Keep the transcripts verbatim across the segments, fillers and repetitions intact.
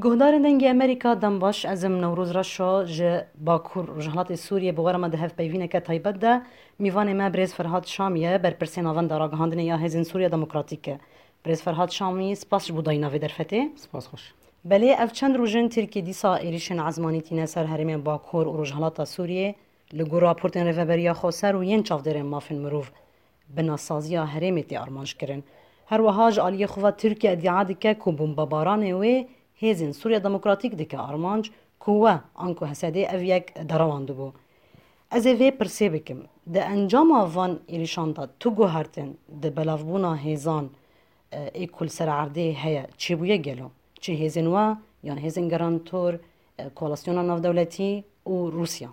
Guhdarên Dengê Amerîka, dem baş. Ez im Newroz Reşo, ji Bakur Rojhilatê Sûriyê. Bi we re me di hevpeyvîneke taybet de mîvanê me birêz Ferhat Şamî ye, berpirsê navenda ragihandinê ya Hêzên Sûriya Demokratîk e. Birêz Ferhat Şamî, spas ji bo dayîna vê derfetê. Spas xweş. Belê, ev çend roj in Tirkiye dîsa êrîşên ezmanî tîne ser herêmên Bakur û Rojhilata Sûriyê li gor raportên Rêveberiya Xweser û yên çavdêrên mafên mirov binasaziya herêmê tê armanc kirin. Her wiha ji aliyê xwe ve Tirkiye îdia dike ku bombebaranê wê Hêzên Sûriya Demokratîk dike armanc, ku we anku H S D'ê ev yek derewandibû. Ez ê vê pirsê bikim. Di encama van êrîşan de tu guhertin di belavbûna hêzan, e, ê ku li ser erdê heye çêbûye gelo? Çi hêzên we yan hêzên garantor, e, koalisyona navdewletî û Rûsya?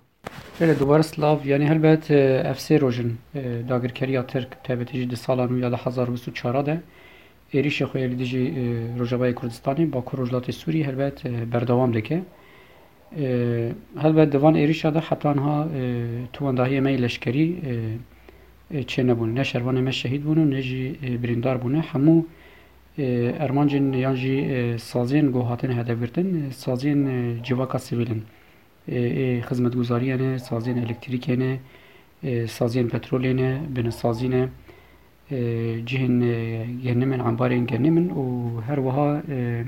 Belê, dubare silav. Yanî helbet, e, ev sê roj in, e, dagirkeriya Tirk, taybetî jî di sala nû ya du hezar û bîst û çar de êrîşê xwe yê li dijî, e, Rojavayê Kurdistanê, Bakur Rojhilatê Sûriyê helbet, e, berdewam dike. E, helbet di van êrîşa de heta niha, e, tu wendahiyê me yê leşkerî, e, e, çênebûn. Ne şervanê me şehîd bûn û ne jî, e, birîndar bûne. Hemû, e, armancên yan jî, e, saziyên ku hatine hedefgirtin, e, saziyên, e, civaka sivîl in. E, ê xizmetguzariyê ne, saziyên elektrîkê ne, e, saziyên petrolê ne, binisazî ne, e, cihên, e, genimin, embarên genimin û her wiha, e,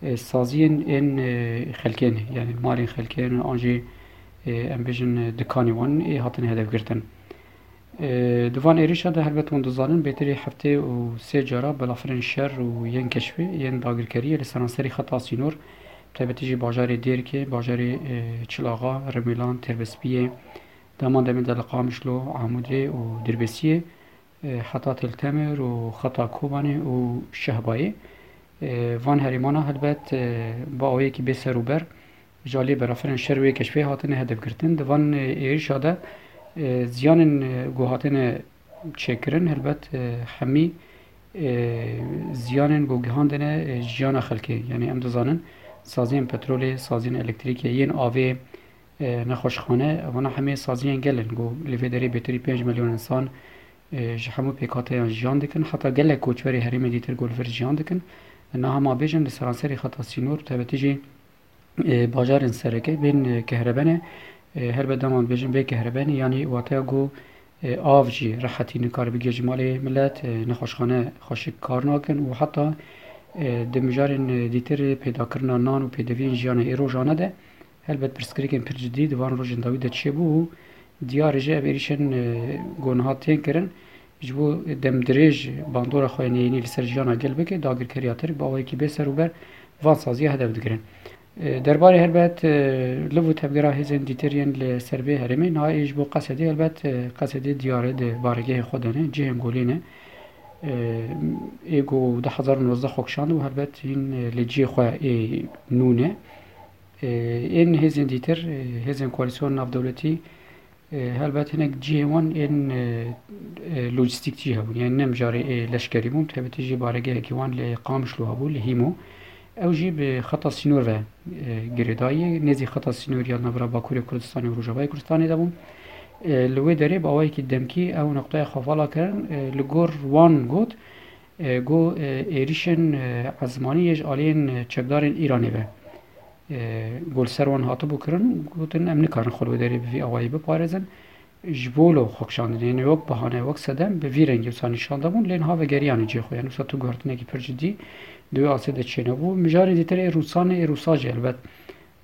e, saziyên ên, e, xelkê ne, yanî malên xelkê ne, an jî, e, em bêjin, e, dikanê wan ê hatin hedefgirtin. E, di van êrîşa de helbet hûn dizanin, bêtirî heftê û sê cara belafirên şer û yên keşfê, yên dagirkeriyê li seranserî xeta sînor, taybetî jî bajarê Dêrkê, bajarê, e, Çilaxa, Rimêlan, Têrbespiyê, dema demê de li Qamişlo, Amûdê û Dirbêsiyê, e, heta Til Temir û xeta Kobanê û Şehbayê. E, van herêmana helbet, e, bi awayekî bê ser û ber ji aliyê belafirên şer wê keşfê hatine hedefgirtin. Di van, e, êrişa de, e, ziyanên, e, ku hatine çêkirin, helbet, e, hemî, e, ziyanên ku gihandine, e, jiyana xelkê. Yanî em dizanin saziyên petrolê, saziyên elektrîkê, yên avê, e, nexweşxane, vana hemê saziyên gel in ku li vê derê bêtirî pênc milyon însan, e, ji hemû pêkhateyan jiyan dikin. Heta gelek koçberê herêmê dîtir ku li vir jiyan dikin. Niha ma bêjin li seranserî xeta sînor, taybetî jî, e, bajarên sereke bên, e, kehrebe ne. E, helbet dema dibêjin bê kehrebe ne, yanî wateya ku, e, av jî rehetî nikare bigihê ji malê milet, e, nexweşxane xweşik kar nakin û heta, e, di mijarên, e, dîtir pêdakirina nan û pêdiviyên jiyana ê rojane de helbet pirsgirêkên pir cidî di van rojên dawî de çêbû û diyar e jî ev êrîşên, e, ku niha tên kirin, ji bo demdirêj bandora xwe neyînî li ser jiyana gel bike, dagirkeriya Tirk bi awayekî bê ser û ber van saziya hedef digirin. E, derbarê helbet, e, liv û tevgera hêzên dîtir yên li ser vê herêmê, niha ê ji bo Qesedê helbet, e, Qesedê diyar e, di baregehê xwe de ne, cihên golê ne. E, ê ku du hezar û nozdeh xwe kişand û helbet hîn, e, li cihê xwe ê nû ne. E, ên hêzên dîtir, e, hêzên koalîsyon navdewletî, e, helbet hinek cihê wan ên, e, e, lojîstîk jî hebûn. Yanî ne mijarê ê leşkerî bûn, taybetî jî baregehekî wan li Qamişlo hebû, li Hîmo. Ew jî bi xeta sînor ve, e, girêdayî ye. Nêzî xeta sînor ya navbera Bakurê Kurdistanê û Rojavayê Kurdistanê de bûn. E, li wê derê bi awayekî demkî ew noqteya xwe vala kirin, e, li gor wan got, e, got, e, êrîşên, e, ezmanî yê ji aliyên, e, çekdarên Îranê ve, e, ku li ser wan hatibû kirin, gotin, em nikarin xwe li wê derê bi vî awayî biparêzin. Ji bo lo xwe kişandinê, yanî wek bahane, wek sedem bi vî rengî wisa nîşan dabûn, lê niha vegeriyane cihê xwe. Yanî wisa tu guhertinekî pir cidî di wê asê de çênebû. Mijarê dîtir ê Rûsan ê, ê Rûsa jî helbet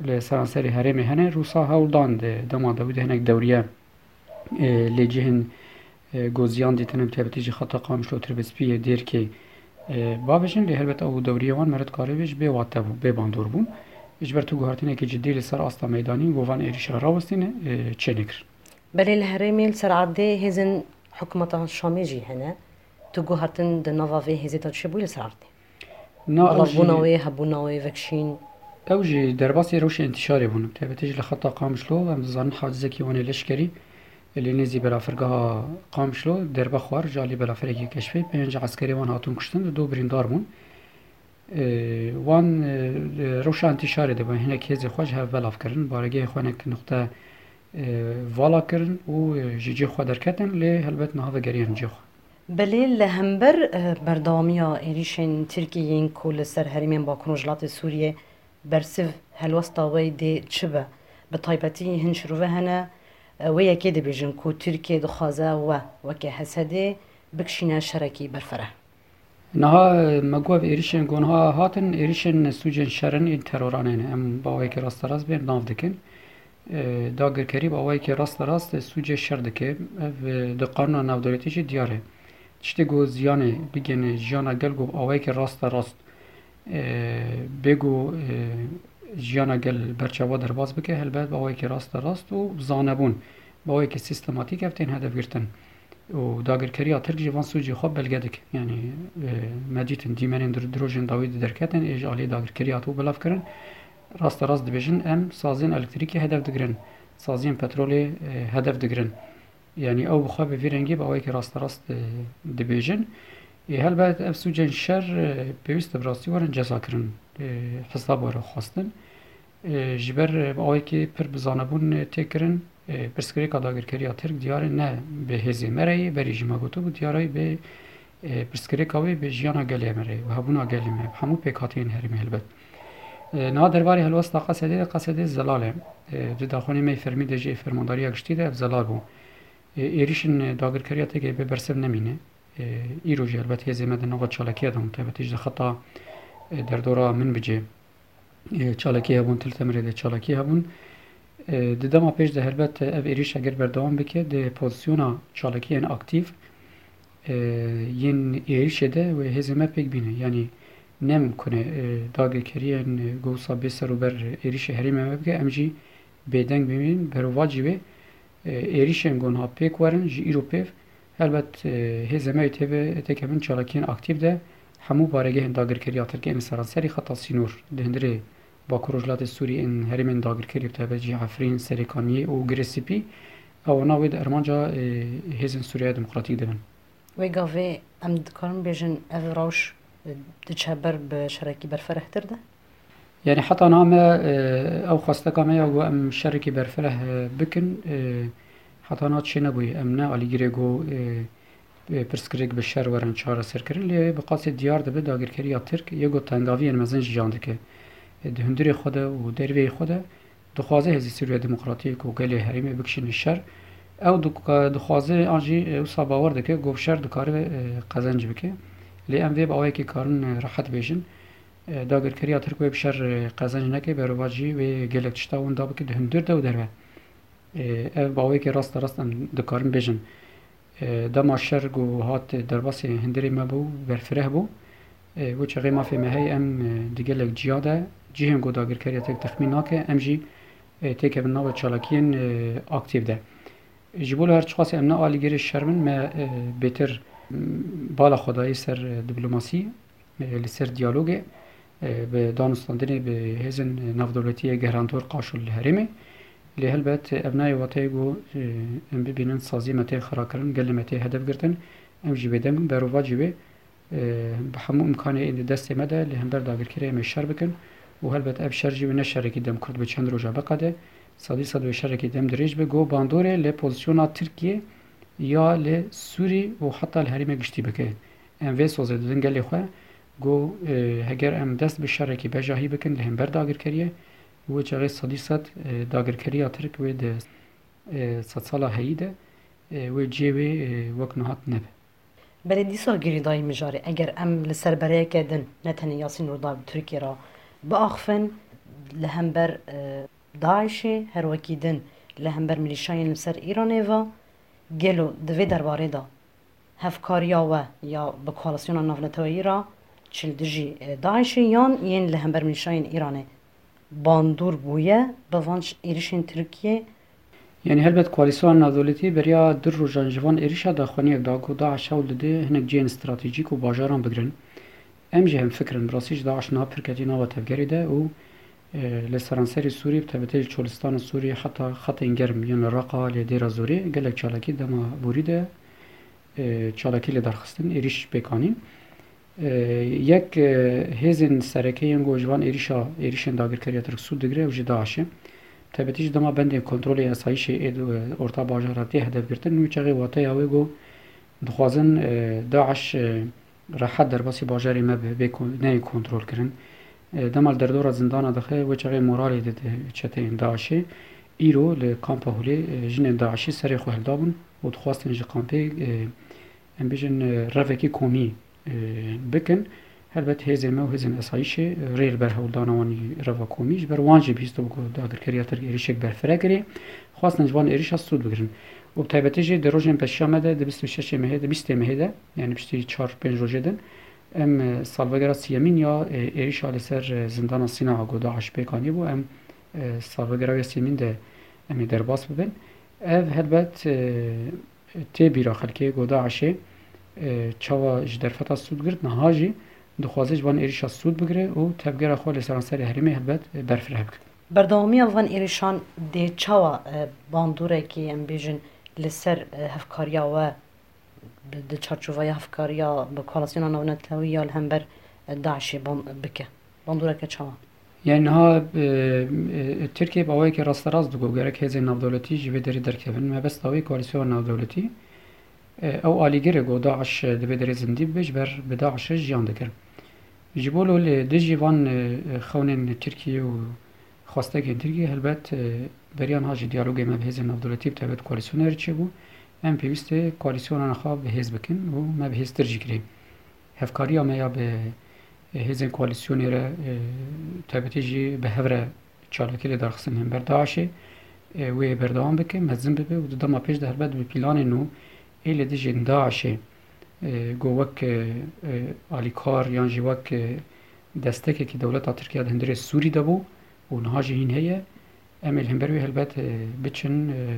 li seranserê herêmê hene. Rûsa hewl dan di dema dawî de hinek dewriye, e, lê cihên, e, ku ziyan dîtin, bi taybetî jî xeta Qamişlo, Tirbespiyê, Dêrkê, e, bavêjin, lê helbet ew dewriyê wan meret karê bê ji bê wate bû, bê bandor bûn. Ji ber tu guhertinekî cidî li ser asta meydanî ku van êrîşa rawestîne, e, çênekirin. Belê li herêmê li ser erdê hêzên hikûmeta Şamê jî hene. Tu guhertin di nava vê hêzê de çi bûye li ser erdê? Na, ew jî Belavbûna wê, hebûna wê, vekşîn. Ew jî derbasî rewşa întîşarê bûn. Taybetî jî li xeta Qamişlo, em dizanin hacizekî wan ê leşkerî li nêzî belafirgeha Qamişlo derbe xwar, ji alî belafirekî keşfê pênc eskerê wan hatûn kuştin, du birîndar bûn. E, wan, e, rewşa întîşarê de bûn, hinek hêzê xwe ji hev belav kirin, baregehê xwe hinek nuqte, e, vala kirin û, e, ji cihê xwe derketin, lê helbet niha vegeriyan cihê xwe. Belê li hember, e, berdewamiya êrîşên Tirkiyê yên ku li ser herêmên Bakur û Rojhilatê Sûriyê Bersiv helwesta we dê çi be? Bi taybetî hin şirove hene, e, wê yekê dibêjin ku Tirkiye dixwaze we weke H S D'ê bikişîne şerekî berfireh. Niha, e, me got ev êrişên ku niha hatin, êrişên sûcên şer in, ên teroran ên. Em bi awayekî rasterast bên nav dikin. E, dagirkerî bi awayekî rasterast, e, sûcê şer dike. Ev, e, di qanûna navdewletî jî diyar e. Tiştê ku ziyanê bigihîne jiyana gel ku bi awayekî rasterast, e, bê ku, e, jiyana gel berçava derbas bike, helbet bi awayekî rasterast û bi zanebûn, bi awayekî sîstematîk ev tên hedefgirtin. Û dagirkeriya Tirk jî van sûcê xwe belge dike. Yanî, e, me dîtin dîmenên dir-, dirojên dawî di derketin, ê ji aliyê dagirkeriyê hatibû belavkirin. Rasterast dibêjin, em saziyên elektrîkê hedef digirin, saziyên petrolê, e, hedef digirin. Yanî ew bi xwe bi vî rengî bi awayekî rasterast, e, dibêjin. Ê, helbet ev sûcên şer, e, pêwîst e bi rastî werin cezakirin, e, hesab were xwestin. E, ji ber, e, bi awayekî pir bi zanebûn, e, tê kirin, e, pirsgirêka dagirkeriya Tirk diyar e, ne bi hêzê me re ye, berî jî me gotibû, diyar e bi, e, pirsgirêka wê bi jiyana gelê me re ye, bi hebûna gelê me, bi hemû pêkhateyên herêmê helbet. E, niha derbarê helwesta Qesedê de, Qesedê zelal e. E, di daxuyanê me yê fermî de jî, fermandariya giştî de ev zelal bû. E, êrîşên dagirkeriya Tirkiyê bê bersiv nemîne. E, îro jî helbet hêzê me di nava çalakiya de hûn, taybetî ji xeta, e, derdora Minbicê, e, çalakî hebûn, Til Temirê de çalakî hebûn. E, di dema pêş de helbet ev êrîş eger berdewam bike, di pozîsyona çalakiyên aktîf, e, yên êrîşê de wê hêzê me pêk bîne. Yanî ne mimkun e, e, dagirkeriyên, e, ku wisa bê ser û ber êrîşê herêmê me bike, em jî bêdeng bimînin. Berovajî wê, e, êrîşên ku niha pêk werin ji îro pêv, helbet, e, hêzê me yê têve têkevin çalakiyên aktîf de hemû baregehên dagirkeriya Tirkiyê ên li seranserî xeta sînor, di hundirê Bakur Rojhilatê Sûriyê, ên herêmên dagirkerî, bi taybet jî Efrîn, Serêkaniyê û Girê Spî, ewana wê di armanca, e, hêzên Sûriya Demokratîk de bin. Wê gavê em dikarin bêjin ev rewş, e, diçe ber bi şerekî berfirehtir de? Yanî heta niha me, e, ew xwesteka me ya ku em şerekî berfireh, e, bikin, e, heta niha çênebûye. Em ne alîgirê ku, e, e, pirsgirêk bi şer werin çareserkirin, lê bi qasê diyar dibe dagirkeriya Tirk yê ku tengaviyên mezin jiyan dike. E, di hundirê xwe de û derveyê xwe de dixwaze hêzên Sûriya Demokratîk û gelê herêmê bikişîne şer. Ew dika-, dixwaze an jî, e, wisa bawer dike ku bi şer dikare, e, qezenc bike. Lê em vê bi awayekî karin, e, rehet bêjin. E, dagirkeriya Tirk wê bi şer, e, qezenc neke, berovajî wê gelek tişta winda bike di hundir de û derve. E, ev bi awayekî rasterast em dikarin bêjin. E, dema şer ku hat derbasî hundirê me bû, berfireh bû. E, wê çaxê mafê me heye, em, e, di gelek ciya de, cihên ku dagirkeriya Tirk texmîn nake, em jî, e, têkevin nava çalakiyên, e, aktîf de. Ji bo li her çiqasî em ne alîgirê şer bin, me, e, bêtir, m, bala xwe dayî ser, e, diplomasî, e, li ser diyalogê, e, bi danûstandinê bi hêzên navdewletî yê gihrandor qaşo li herêmê. Lê helbet ev nayê wateyê ku, e, em bibînin saziyê me tê xirakirin, gelê me tê hedef girtin, em jî bêdeng in. Berovajî wê, e, bi hemû îmkanê ên di destê me de li hember dagirkerê em ê şer bikin û helbet ev şer jî wê ne şerekî dem kurt be, çend roja biqede, sedî sed wê şerekî dem dirêj be, ku bandorê li pozîsyona Tirkiyê ya li Sûrî û heta li herêmê giştî bike. Em vê sozê didin gelê xwe, ku, e, heger em dest bi şerekî bejahî bikin li hember dagirkeriyê, wê çaxê sedî sed, e, dagirkeriya Tirk wê di, e, sedsala heyî de, e, wê cihê wê, e, wek niha nebe. Belê dîsa girêdayî mijarê, eger em li ser bereyeke din, ne tenê Yasîn Rûdawî bi Tirkiyê re biaxivin, li hember, e, DAIŞê, her wekî din li hember milîşayên li ser Îranê ve, gelo di vê derbarê de hevkariya we ya bi koalîsyona navneteweyî re çi li dijî, e, DAIŞê yan yên li hember milîşayên Îranê bandor bûye bi van ş-, êrişên Tirkiyê? Yanî helbet koalîsyona navdewletî beriya du rojan ji van êrişa daxuyaniyek da ku DAIŞ hewl dide hinek cihên stratejîk û bajaran bigirin. Em jî hemfikir in, bi rastî jî DAIŞ niha pir ketiye nava tevgerê de û, e, li seranserê Sûriyê, bi taybetî li Çolistan û Sûriyê heta xetên germ yên li Reqa, li Dêra Zorê gelek çalakî dema borî de, e, çalakî li dar xistin, êrîş pêk anîn. E, yek, e, hêzên sereke yên ku ji van êrîşa, êrîşên dagirkeriya Tirk sûd digire, ew jî DAIŞ e. Bi taybetî jî dema bendên kontrolê esayîşê ê, e, orta bajara tê hedef girtin, wî çaxê wateya wê ku dixwazin, e, DAIŞ, e, rehet derbasî bajarê me be, bê kon-, neyê kontrolkirin. E, dema li derdora zindana dixe, wê çaxê moralê dide çeteyên DAIŞê. Îro li kampa Holê, e, jinên DAIŞê serê xwe hildabûn û dixwastin ji kampê, e, em bêjin, e, revekî komî, e, bikin. Helbet hêzên me û hêzên esayîşê, e, rê li ber hewldana wan î reva komî. Ji ber wan jî bihîstibû ku dagirkeriya Tirk êrişek berfireh kirê. Xwestin ji van êrişa sûd bigirin. Û bi taybetî jî di rojên pêşiya me de, di bîst û şeşê mehê de, bîstê mehê de, yani piştî çar pênc rojê din, em, e, salvegera siyemîn ya, e, êrişa li ser, e, zindana Sîna ku DAIŞ pêk anîbû, em, e, salvegera wê siyemîn de em ê derbas bibin. Ev helbet, e, tê bîra xelkê ku DAIŞê, e, çawa ji derfeta sûd girt, niha jî dixwaze ji van êrişa sûd bigire û tevgera xwe li seranserê herêmê helbet, e, berfireh bike. Berdewamiya van êrişan dê çawa, e, bandoreke, em bêjin, li ser, e, hevkariya we bi, di çarçoveya hevkariya bi koalîsyona navnetewî ya li hember, e, DAIŞê ban-, bike? Bandoreke çawa? Yani niha, e, e, Tirkiye bi awayekî rasterast digo gerek hêzên navdewletî ji vê derê derkevin. Mebesta wê koalîsyona navdewletî, e, ew alîgirê ku DAIŞ di vê derê zindî bibe, ji ber bi DAIŞ re jiyan dikir. Ji bo li dijî van, e, e, xewnên Tirkiye û xwestekên Tirkiye, helbet, e, beriya niha jî diyalogê me bi hêzên navdewletî, bi taybet koalîsyonê re çêbû. Em pêwîst e koalîsyona xwe bi hêz bikin û me bi hêztir jî kirê. Hevkariya me ya bi, e, hêzên koalîsyonê re, e, taybetî jî bi hev re çalakî li darxistin hember DAIŞê, e, wê berdewam bike, mezin bibe û di dema pêş de helbet bi planên nû ê li dijî DAIŞê, e, ku wek, e, e, alîkar yan jî wek, e, destekekî dewleta Tirkiye di hundirê Sûrî de bû û niha jî hîn heye, em ê li hember wê helbet, e, biçin, e,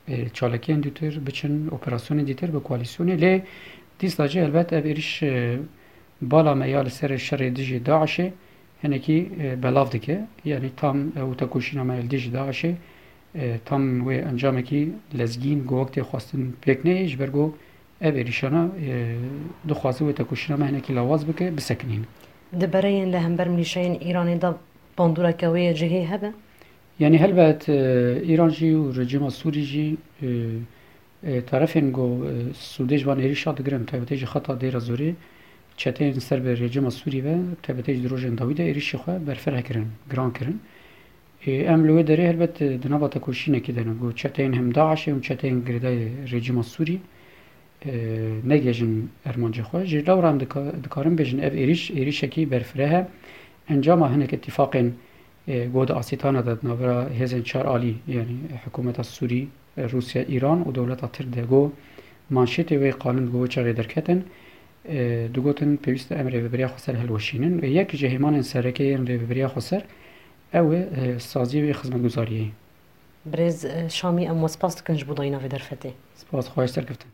e, çalakiyên dûtir, biçin operasyonên dîtir bi koalîsyonê. Lê dîsa jî helbet ev êriş, e, bala me ya li ser şerê dijî DAIŞê hinekî, e, belav dike. Yanî tam ew tekoşîna me li dijî DAIŞê, e, tam wê encamekî lezgîn ku wek tê xwestin pêk neyê, ji ber ku ev êrişana, e, dixwaze wê tekoşîna me hinekî lawaz bike, bisekinîne. Di bereyên li hember milîşeyên Îranê de bandoreke wê yê cihê hebe? Yanî helbet, e, Îran jî û rejîma Sûrî jî, e, e, tarafên ku, e, sûdê ji van êrişa digirin, taybetê ji xeta Dêra Zorê, çeteyên ser bi rejîma Sûrî ve, taybetê ji di rojên dawî de êrişê xwe berfireh kirin, giran kirin. E, em li wê derê helbet, e, di nava tekoşînekî de ne, ku çeteyên hem DAIŞê û çeteyên girêdayî rejîma Sûrî, e, negihêjin armancê xwe. Ji lewra em dika-, dikarin bêjin ev êrîş, êrîşekî berfireh e. Encama hinek îtîfaqên, e, ku di Asîtana de di navbera hêzên çar alî, yanî hikûmeta Sûrî, e, Rûsya, Îran û dewleta Tirk de ku manşetê wê qalin ku wê çaxê derketin, e, digotin pêwîst e em rêveberiya xweser hilweşînin. Û yek ji hêmanên sereke yên rêveberiya xweser ew e, e, saziyê wê xizmetguzariyê. Birêz, e, Şamî, em we spas dikin ji bo dayîna vê derfetê. Spas, xwahîş serkeftin.